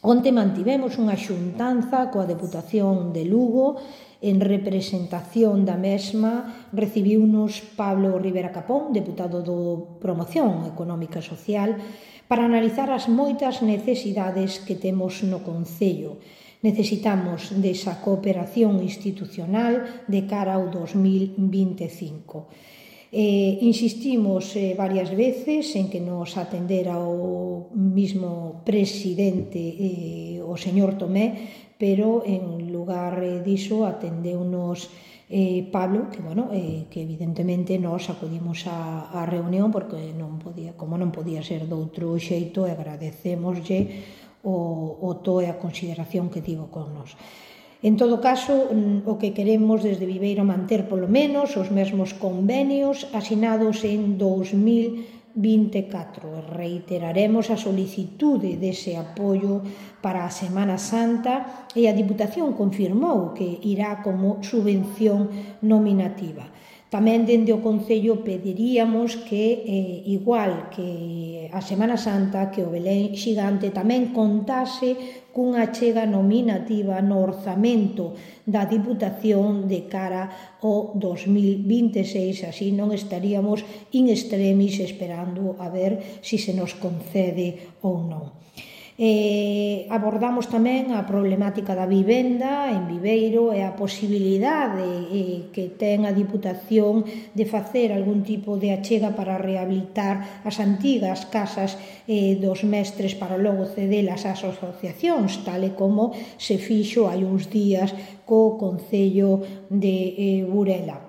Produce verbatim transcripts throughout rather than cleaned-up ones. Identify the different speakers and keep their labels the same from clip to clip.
Speaker 1: Onte mantivemos unha xuntanza coa Deputación de Lugo. En representación da mesma recibiunos Pablo Rivera Capón, deputado do Promoción Económica e Social, para analizar as moitas necesidades que temos no concello. Necesitamos desa cooperación institucional de cara ao dos mil vinte e cinco. Eh, insistimos eh, varias veces en que nos atendera o mismo presidente, eh, o señor Tomé, pero en lugar diso atendeunos eh, Pablo, que, bueno, eh, que evidentemente nós acudimos á, á reunión porque non podía, como non podía ser doutro xeito, e agradecémoslle o, o to e a consideración que tivo con nós. En todo caso, o que queremos desde Viveiro manter polo menos os mesmos convenios asinados en dos mil vinte e catro. Reiteraremos a solicitude dese apoio para a Semana Santa e a Diputación confirmou que irá como subvención nominativa. Tamén dende o Concello pediríamos que, eh, igual que a Semana Santa, que o Belén Xigante tamén contase cunha achega nominativa no orzamento da Diputación de cara ao dos mil vinte e seis, así non estaríamos in extremis esperando a ver se se nos concede ou non. Eh, abordamos tamén a problemática da vivenda en Viveiro e a posibilidade eh, que ten a Diputación de facer algún tipo de achega para rehabilitar as antigas casas eh, dos mestres para logo cedelas ás asociacións, tal e como se fixo hai uns días co Concello de eh, Burela.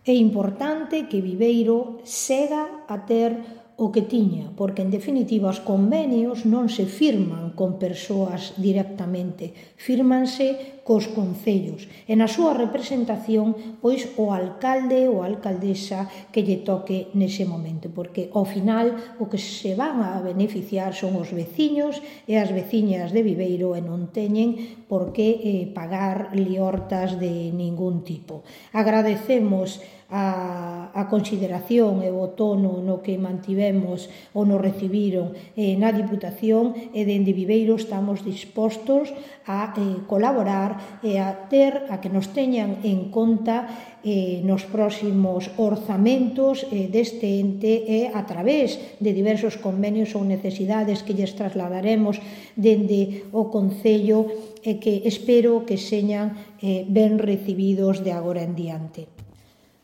Speaker 1: É importante que Viveiro sega a ter o que tiña, porque en definitiva os convenios non se firman con persoas directamente, firmanse cos concellos e na súa representación pois o alcalde ou a alcaldesa que lle toque nese momento, porque ao final o que se van a beneficiar son os veciños e as veciñas de Viveiro e non teñen por que eh, pagar liortas de ningún tipo. Agradecemos a, a consideración e o tono no que mantivemos ou nos recibiron eh, na Diputación e dende Viveiro estamos dispostos a eh, colaborar e a ter, a que nos teñan en conta eh, nos próximos orzamentos eh, deste ente e a través de diversos convenios ou necesidades que lles trasladaremos dende o Concello e que espero que señan eh, ben recibidos de agora en diante.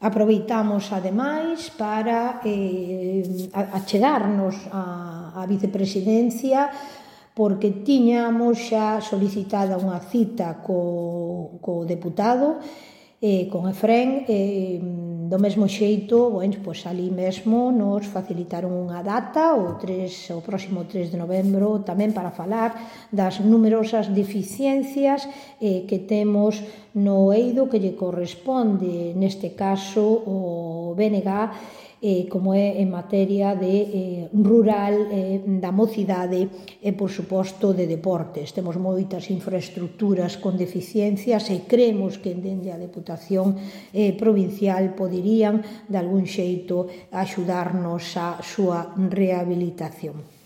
Speaker 1: Aproveitamos, ademais, para eh, achegarnos á, á vicepresidencia porque tiñamos xa solicitada unha cita co, co deputado, eh, con Efrén, eh, do mesmo xeito, bueno, pois ali mesmo nos facilitaron unha data, o, tres, o próximo tres de novembro, tamén para falar das numerosas deficiencias eh, que temos no eido que lle corresponde, neste caso, o B N G, eh, como é en materia de eh, rural, eh, da mocidade e, por suposto, de deportes. Temos moitas infraestructuras con deficiencias e creemos que dende a Deputación eh, provincial poderían, de algún xeito, axudarnos a súa rehabilitación.